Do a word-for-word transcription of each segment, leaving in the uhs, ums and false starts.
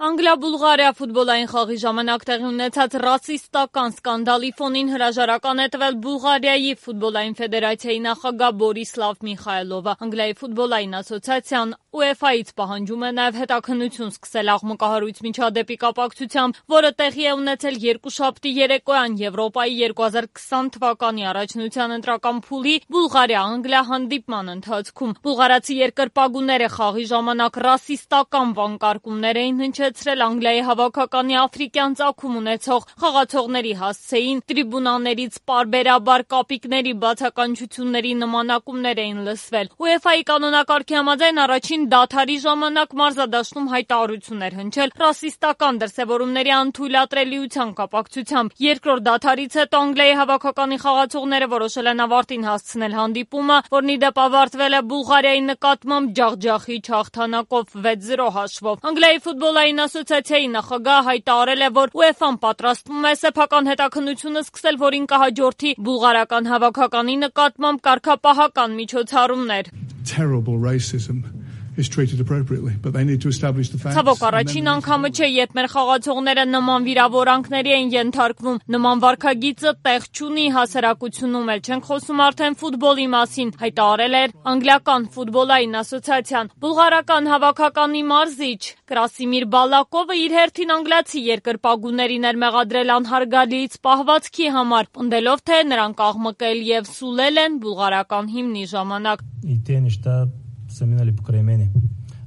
Անգլիա-Բուլղարիա ֆուտբոլային խաղի ժամանակ տեղի ունեցած ռասիստական սկանդալի ֆոնին հրաժարական է տվել Բուլղարիայի ֆուտբոլային ֆեդերացիայի նախագահ Բորիսլավ Միխայելովը։ Անգլիայի ֆուտբոլային ասոցիացիան ՈՒԵՖԱ-ից պահանջում է նաև հետաքննություն սկսել աղմկահարույց միջադեպի կապակցությամբ, որը տեղի է ունեցել երկուշաբթի երեկոյան Եվրոպայի երկու հազար քսան թվականի առաջնության ընտրական փուլի Բուլղարիա-Անգլիա հանդիպման ընթացքում։ Բուլղարացի երկրպագուները խաղի ժամանակ ռասիստական վանկարկումներ էին հնչեցրել Անգլիայի հավաքականի աֆրիկյան ծագում ունեցող խաղացողների հասցեին, տրիբունաներից պարբերաբար կապիկների բացականչությունների նմանակումներ էին լսվել։ ՈՒԵՖԱ-ի կանոնակարգի համաձայն առաջին դադարի ժամանակ մարզադաշտում հայտարարություն էր հնչել ռասիստական դրսևորումների անթույլատրելիության կապակցությամբ։ Երկրորդ դադարից հետո Անգլիայի հավաքականի խաղացողները որոշել են ավարտին հասցնել հանդիպումը, որն ի դեպ ավարտվել է Բուլղարիայի նկատմամբ ջախջախիչ հաղթանակով վեց զրո հաշվով։ Անգլիայի ֆուտբոլային ասոցիացիայի նախագահը հայտարարել է, որ ՈՒԵՖԱ-ն պատրաստվում է սեփական հետաքննությունը սկսել, որին կհաջորդի բուլղարական հավաքականի նկատմամբ կարգապահական միջոցառումներ։ Terrible racism is treated appropriately, but they need to establish the facts. Ցավոք առաջին անգամը չէ, երբ մեր խաղացողները նման վիրավորանքների են ենթարկվում։ Նման վարքագիծը տեղ չունի հասարակությունում, էլ չենք խոսում արդեն ֆուտբոլի մասին, հայտարարել էր անգլիական ֆուտբոլային ասոցիացիան։ Բուլղարական հավաքականի մարզիչ Կրասիմիր Բալակովը իր հերթին անգլիացի երկրպագուներին էր մեղադրել անհարգալից պահվածքի համար, պնդելով, թե նրանք աղմկել եւ սուլել են բուլղարական հիմնի ժամանակ։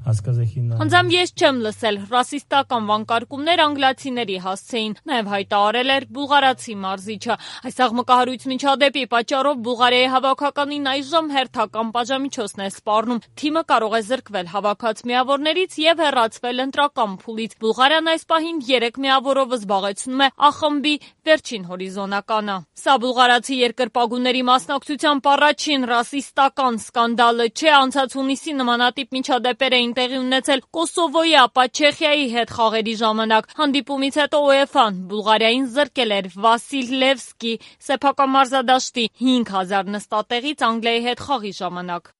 Անձամբ ես չեմ լսել ռասիստական վանկարկումներ անգլիացիների հասցեին, նաև հայտարարել էր բուլղարացի մարզիչը։ Այս աղմկահարույց միջադեպի պատճառով Բուլղարիայի հավաքականին այժմ հերթական պատժամիջոցն է սպառնում։ Թիմը կարող է զրկվել հավաքած միավորներից եւ հեռացվել ընտրական փուլից։ Բուլղարիան այս պահին երեք միավորով զբաղեցնում է Ա խմբի վերջին հորիզոնականը։ Սա բուլղարացի երկրպագուների մասնակցությամբ առաջին ռասիստական սկանդալը չէ, անցած հունիսի նմանատիպ միջադեպեր էին տեղի ունեցել Կոսովոյի, ապա Չեխիայի հետ խաղերի ժամանակ։ Հանդիպումից հետո ՈՒԵՖԱ-ն Բուլղարիային զրկել էր Վասիլ Լևսկի սեփական մարզադաշտի հինգ հազար նստատեղից Անգլիայի հետ խաղի ժամանակ։